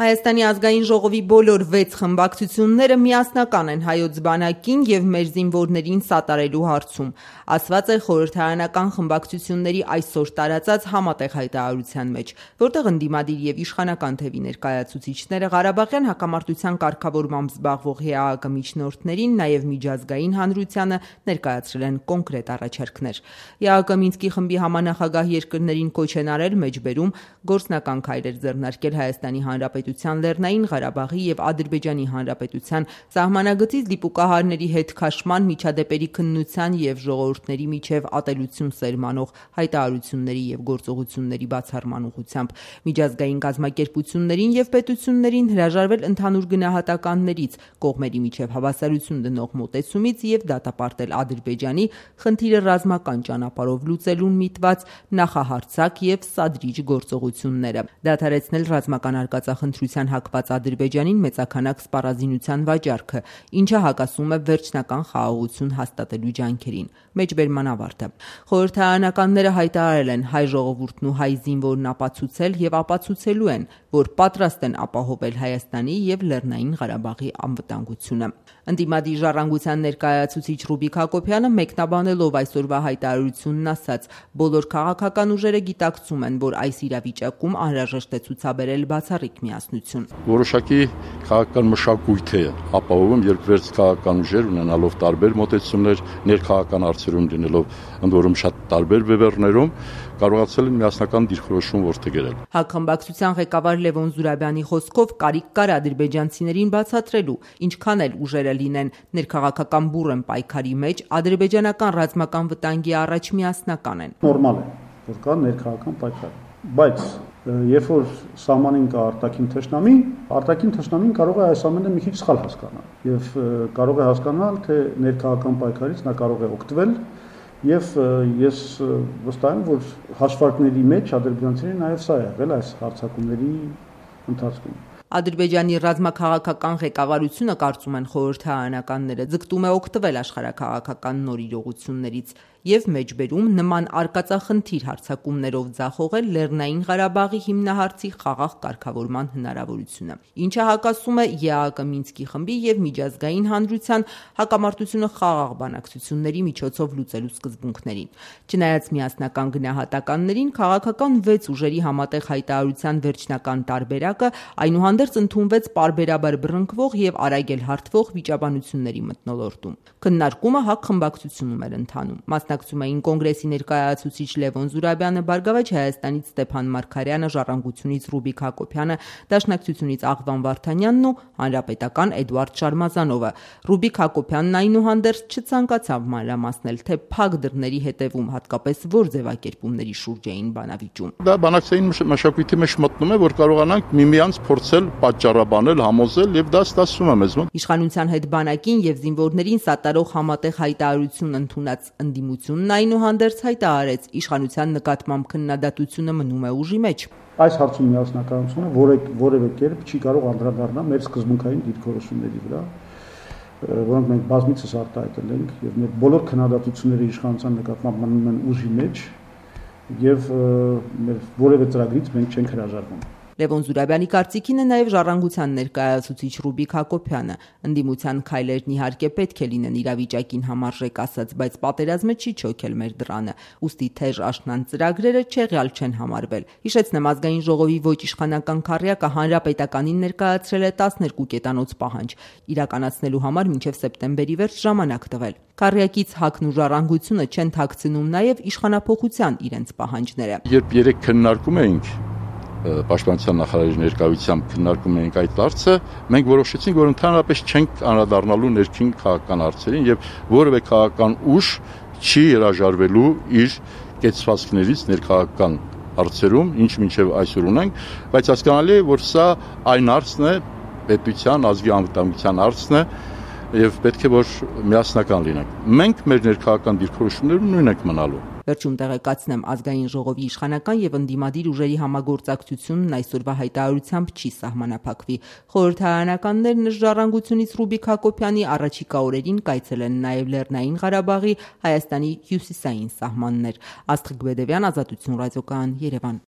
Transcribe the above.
Հայաստանի ազգային ժողովի բոլոր 6 խմբակցությունները միասնական են հայոց բանակին և մեր զինվորներին սատարելու հարցում, ասված է խորհրդարանական խմբակցությունների այսօր տարածած համատեղ հայտարարության մեջ, որտեղ ընդդիմադիր և իշխանական թևի ներկայացուցիչները Ղարաբաղյան հակամարտության կարգավորմամբ զբաղվող ՀԱԿ միջնորդներին, նաև միջազգային հանրությանը ներկայացրել են կոնկրետ առաջարկներ։ ՀԱԿ Մինսկի խմբի համանախագահ երկրներին կոչ են արել մեջբերում գործնական քայլեր ձեռնարկել Հայաստանի Հանրապետության Լեռնային Ղարաբաղի և Ադրբեջանի Հանրապետության սահմանագծից դիպուկահարների հետ քաշման, միջադեպերի քննության և ժողովուրդների միջև ատելություն սերմանող հայտարարությունների և գործողությունների բացառման ուղղությամբ, միջազգային կազմակերպություններին և պետություններին հրաժարվել ընդհանուր գնահատականներից, կողմերի միջև հավասարություն դնող մոտեցումից և դատապարտել Ադրբեջանի խնդիրը ռազմական ճանապարհով լուծելուն միտված նախահարձակ և սադրիչ գործողությունները, դադարեցնել ռազմական արկածախնդրության հակված Ադրբեջանին մեծաքանակ սպառազինության վաճառքը, ինչը հակասում է վերջնական խաղաղություն հաստատելու ջանքերին։ Մեջբերման ավարտը։ Խորհրդարանականները հայտարարել են հայ ժողովուրդն ու հայ զինվորն ապացուցել և ապացուցելու են, որ պատրաստ են ապահովել Հայաստանի և Լեռնային Ղարաբաղի անվտանգությունը։ Ընդդիմադիր ժառանգության ներկայացուցիչ Ռուբիկ Հակոբյանը մեկնաբանելով այսօրվա հայտարարությունն ասաց. բոլոր քաղաքական ուժերը գիտակցում են, որ այս իրավիճակում անհրաժեշտ է ցուցաբերել բացառիկ միասնություն։ Որոշակի քաղաքական մշակույթ է ապահովում, երբ վերջ քաղաքական ուժեր ունենալով տարբեր մոտեցումներ, ներքաղաքական հարցերում լինելով ընդ որում շատ տարբեր բևեռներում, կարողացել են միասնական դիրքորոշում որդեգրել։ ՀԱԿ խմբակցության ղեկավար Լևոն Զուրաբյանի խոսքով կարիք կար ադրբեջանցիներին բացատրելու, ինչքան էլ ուժերը լինեն ներքաղաքական բուռն պայքարի մեջ, ադրբեջանական ռազմական վտանգի առաջ միասնական են։ Նորմալ է, որ կա ներքաղաքական պայքար, բայց երբ որ սահմանին կա արտաքին թշնամին կարող է այս ամենը մի քիչ սխալ հասկանալ եւ կարող է հասկանալ, թե ներքաղաքական պայքարից նա կարող է օգտվել եւ ես վստահ եմ, որ հաշվարկների մեջ ադրբեջանցիներին նաեւ սա է եղել այս հարձակումների ընթացքում։ Ադրբեջանի ռազմաքաղաքական ղեկավարությունը, կարծում են խորհրդարանականները, ձգտում է օգտվել աշխարհաքաղաքական նոր իրողություններից և մեջբերում նման արկածախնդիր հարձակումներով ձախողել Լեռնային Ղարաբաղի հիմնահարցի խաղաղ կարգավորման հնարավորությունը, ինչը հակասում է ԵԱՀԿ Մինսկի խմբի և միջազգային հանրության հակամարտությունը խաղաղ բանակցությունների միջոցով լուծելու սկզբունքներին։ Չնայած միասնական գնահատականներին, քաղաքական 6 ուժերի համատեղ հայտարարության վերջնական տարբերակը այնուհանդերձ ընդունվեց պարբերաբար բռնկվող և արագ հարթվող վիճաբանությունների մթնոլորտում։ Քննարկումը ՀԱԿ խմբակցությունում էր ընթանում։ Մասնակցում էին կոնգրեսի ներկայացուցիչ Լևոն Զուրաբյանը, Բարգավաճ Հայաստանից Ստեփան Մարգարյանը, Ժառանգությունից Ռուբիկ Հակոբյանը, Դաշնակցությունից Աղվան Վարդանյանն ու Հանրապետական Էդուարդ Շարմազանովը։ Ռուբիկ Հակոբյանն այնուհանդերձ չցանկացավ մանրամասնել, թե փակ դռների հետևում հատկապես որ ձևակերպումների շուրջ էին բանավիճում։ Դա բանակցային մշակույթի մեջ մտնում է, որ կարողանանք միմյանց փորձել պատճառաբանել, համոզել եւ դա ստացվում է մեզ մոտ։ Իշխանության հետ բանակին եւ զինվորներին սատարող համատեղ հայտարարություն ընդունած ընդդիմությունն այնուհանդերձ հայտարարեց, իշխանության նկատմամբ քննադատությունը մնում է ուժի մեջ։ Այս հարցում միասնականությունը որևէ կերպ չի կարող անդրադառնալ մեր սկզբունքային դիրքորոշումների վրա, որոնք մենք բազմիցս արտահայտել ենք եւ մեր բոլոր քննադատությունները իշխանության նկատմամբ մնում են ուժի մեջ եւ մեր որևէ ծրագրից մենք չենք հրաժարվում։ Լևոն Զուրաբյանի կարծիքին է նաև ժառանգության ներկայացուցիչ Ռուբիկ Հակոբյանը։ Ընդդիմության քայլերն իհարկե պետք է լինեն իրավիճակին համարժեք ասած, բայց պատերազմը չի չոքել մեր դռանը, ուստի թեժ աշնան ծրագրերը չեղյալ չեն համարվել։ Հիշեցնեմ, ազգային ժողովի ոչ իշխանական քառյակը հանրապետականին ներկայացրել է 12 կետանոց պահանջ, իրականացնելու համար մինչև սեպտեմբերի վերջ ժամանակ տվել։ Քառյակից ՀԱԿ-ն ու ժառանգությունը չեն թաքցնում նաև իշխանափոխության իրենց պահանջները։ Երբ երեք քննարկում էինք Պաշտպանության նախարարի ներկայությամբ քննարկում էինք այդ հարցը, մենք որոշեցինք, որ ընդհանրապես չենք անդրադառնալու ներքին քաղաքական հարցերին եւ որևէ քաղաքական ուժ չի հրաժարվելու իր կեցվածքներից ներքաղաքական հարցերում, ինչ մինչեւ այսօր ունենք, բայց հասկանալի է, որ սա այն հարցն է, պետության ազգի անվտանգության հարցն է եւ պետք է որ միասնական լինենք։ Մենք մեր ներքաղաքական դիրքորոշումներում նույնն ենք մնալու։ Վերջում տեղեկացնեմ, ազգային ժողովի իշխանական եւ ընդդիմադիր ուժերի համագործակցությունն այսօրվա հայտարարությամբ չի սահմանափակվի։ Խորհրդարանականներն ժառանգությունից Ռուբիկ Հակոբյանի առաջիկա օրերին կայցելեն նաեւ Լեռնային Ղարաբաղի Հայաստանի հյուսիսային սահմաններ։ Աստղիկ Բեդևյան, Ազատություն ռադիոկայան, Երևան։